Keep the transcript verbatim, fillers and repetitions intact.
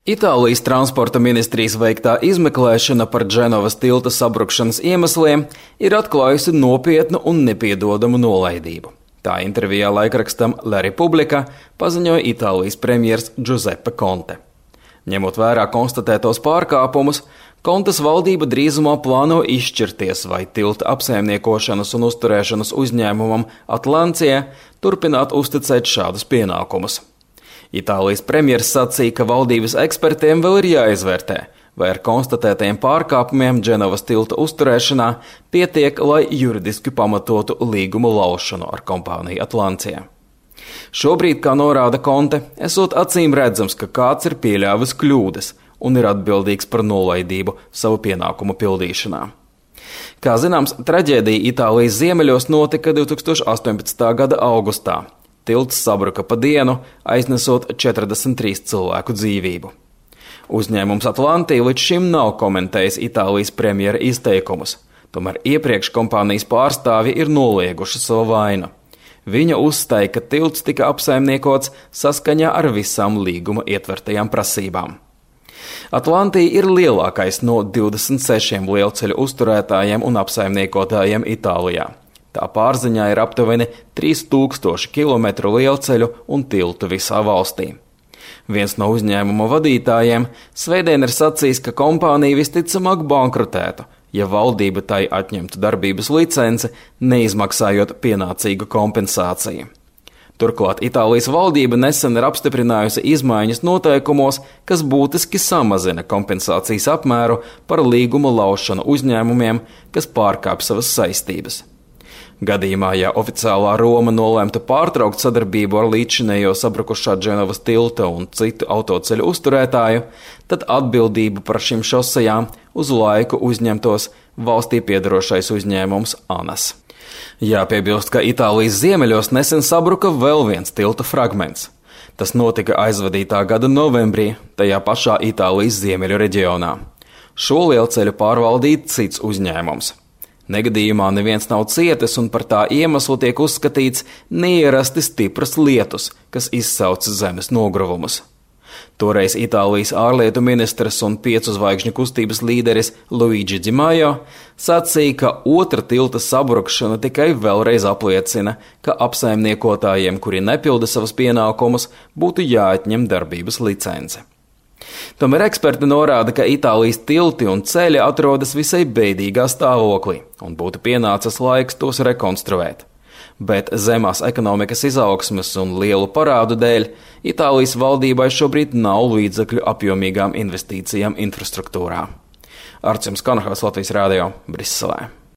Itālijas transporta ministrijas veiktā izmeklēšana par Dženovas tilta sabrukšanas iemesliem ir atklājusi nopietnu un nepiedodamu nolaidību. Tā intervijā laikrakstam La Repubblica paziņoja Itālijas premjers Giuseppe Conte. Ņemot vērā konstatētos pārkāpumus, Contes valdība drīzumā plāno izšķirties, vai tilta apsaimniekošanas un uzturēšanas uzņēmumam Atlantia turpināt uzticēt šādus pienākumus. Itālijas premjers sacīja, ka valdības ekspertiem vēl ir jāizvērtē, vai ar konstatētajiem pārkāpumiem Dženovas tilta uzturēšanā pietiek, lai juridiski pamatotu līgumu laušanu ar kompāniju Atlantia. Šobrīd, kā norāda Conte, esot acīm redzams, ka kāds ir pieļāvis kļūdas un ir atbildīgs par nolaidību savu pienākumu pildīšanā. Kā zināms, traģēdija Itālijas ziemeļos notika divtūkstoš astoņpadsmitā gada augustā. Tilts sabruka pa dienu, aiznesot četrdesmit trīs cilvēku dzīvību. Uzņēmums Atlantia līdz šim nav komentējis Itālijas premjera izteikumus, tomēr iepriekš kompānijas pārstāvji ir nolieguši savu vainu. Viņa uzstāja, ka tilts tika apsaimniekots saskaņā ar visām līguma ietvertajām prasībām. Atlantia ir lielākais no divdesmit sešiem lielceļu uzturētājiem un apsaimniekotājiem Itālijā. Tā pārziņā ir aptuveni trīs tūkstoši kilometru lielceļu un tiltu visā valstī. Viens no uzņēmuma vadītājiem svētdien ir sacījis, ka kompānija visticamāk bankrotētu, ja valdība tai atņemtu darbības licenci, neizmaksājot pienācīgu kompensāciju. Turklāt Itālijas valdība nesen ir apstiprinājusi izmaiņas noteikumos, kas būtiski samazina kompensācijas apmēru par līguma laušanu uzņēmumiem, kas pārkāpj savas saistības. Gadījumā, ja oficiālā Roma nolemtu pārtraukt sadarbību ar līdzinējo sabrukušā Dženovas tilta un citu autoceļu uzturētāju, tad atbildību par šīm šosejām uz laiku uzņemtos valstī piedarošais uzņēmums ANAS. Jāpiebilst, ka Itālijas ziemeļos nesen sabruka vēl viens tilta fragments. Tas notika aizvadītā gada novembrī, tajā pašā Itālijas ziemeļu reģionā. Šo lielceļu pārvaldīja cits uzņēmums. Negadījumā neviens nav cietis, un par tā iemeslu tiek uzskatīts neierasti stipras lietus, kas izsauca zemes nogruvumus. Toreiz Itālijas ārlietu ministrs un piecu zvaigžņu kustības līderis Luigi Di Maio sacīja, ka otra tilta sabrukšana tikai vēlreiz apliecina, ka apsaimniekotājiem, kuri nepilda savas pienākumus, būtu jāatņem darbības licence. Tomēr eksperti norāda, ka Itālijas tilti un ceļi atrodas visai bēdīgā stāvoklī un būtu pienācis laiks tos rekonstruēt. Bet zemās ekonomikas izaugsmes un lielu parādu dēļ Itālijas valdībai šobrīd nav līdzekļu apjomīgām investīcijām infrastruktūrā. Arčuns Kanahals, Latvijas Rādio, Briselē.